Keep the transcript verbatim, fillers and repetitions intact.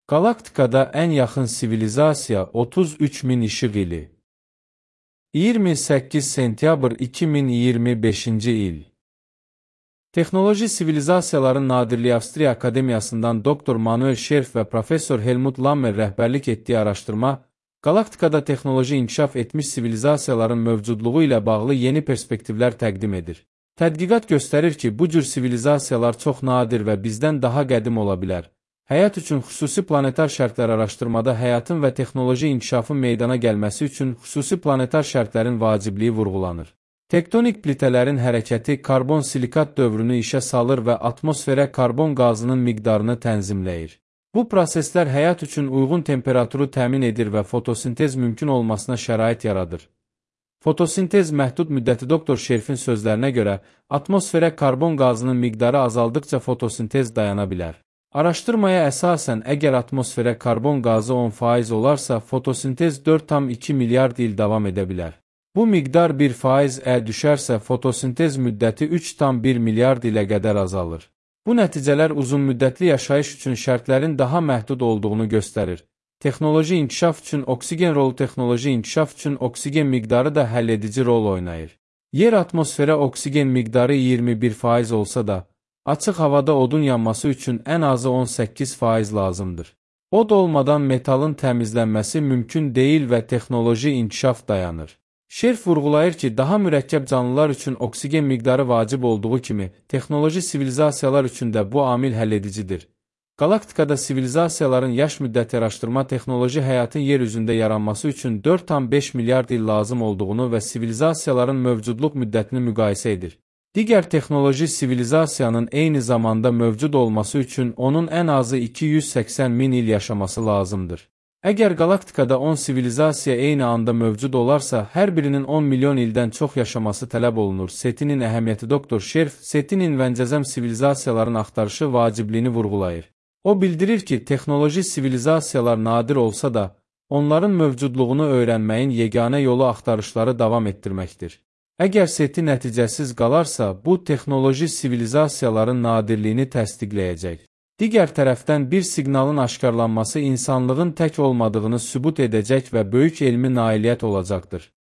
Galaktikada ən yaxın sivilizasiya otuz üç min işıq ili. iyirmi səkkiz sentyabr iki min iyirmi beşinci il. Texnoloji Sivilizasiyaların Nadirliyi Avstriya Akademiyasından doktor Manuel Scherf və professor Helmut Lammer rəhbərlik etdiyi araşdırma, galaktikada texnoloji inkişaf etmiş sivilizasiyaların mövcudluğu ilə bağlı yeni perspektivlər təqdim edir. Tədqiqat göstərir ki, bu cür sivilizasiyalar çox nadir və bizdən daha qədim ola bilər. Həyat üçün xüsusi planetar şərtlər araşdırmada həyatın və texnoloji inkişafın meydana gəlməsi üçün xüsusi planetar şərtlərin vacibliyi vurğulanır. Tektonik plitələrin hərəkəti karbon-silikat dövrünü işə salır və atmosferə karbon qazının miqdarını tənzimləyir. Bu proseslər həyat üçün uyğun temperaturu təmin edir və fotosintez mümkün olmasına şərait yaradır. Fotosintez məhdud müddəti doktor Scherfin sözlərinə görə, atmosferə karbon qazının miqdarı azaldıqca fotosintez dayana bilər. Araşdırmaya əsasən, əgər atmosferə karbon qazı on faiz olarsa, fotosintez dörd tam iki milyard il davam edə bilər. Bu miqdar bir faiz ə düşərsə, fotosintez müddəti üç tam bir milyard ilə qədər azalır. Bu nəticələr uzun müddətli yaşayış üçün şərtlərin daha məhdud olduğunu göstərir. Texnoloji inkişaf üçün oksigen rolu texnoloji inkişaf üçün oksigen miqdarı da həlledici rol oynayır. Yer atmosferə oksigen miqdarı iyirmi bir faiz olsa da, açıq havada odun yanması üçün ən azı on səkkiz faiz lazımdır. Od olmadan metalın təmizlənməsi mümkün deyil və texnoloji inkişaf dayanır. Scherf vurğulayır ki, daha mürəkkəb canlılar üçün oksigen miqdarı vacib olduğu kimi, texnoloji sivilizasiyalar üçün də bu amil həlledicidir. Galaktikada sivilizasiyaların yaş müddəti araşdırma texnoloji həyatın yer üzündə yaranması üçün dörd tam beş milyard il lazım olduğunu və sivilizasiyaların mövcudluq müddətini müqayisə edir. Digər texnoloji sivilizasiyanın eyni zamanda mövcud olması üçün onun ən azı iki yüz səksən min il yaşaması lazımdır. Əgər galaktikada on sivilizasiya eyni anda mövcud olarsa, hər birinin on milyon ildən çox yaşaması tələb olunur. Setinin əhəmiyyəti doktor Scherf, Setinin vəncəzəm sivilizasiyaların axtarışı vacibliyini vurğulayır. O bildirir ki, texnoloji sivilizasiyalar nadir olsa da, onların mövcudluğunu öyrənməyin yeganə yolu axtarışları davam etdirməkdir. Əgər seti nəticəsiz qalarsa, bu texnoloji sivilizasiyaların nadirliyini təsdiqləyəcək. Digər tərəfdən bir siqnalın aşkarlanması insanlığın tək olmadığını sübut edəcək və böyük elmi nailiyyət olacaqdır.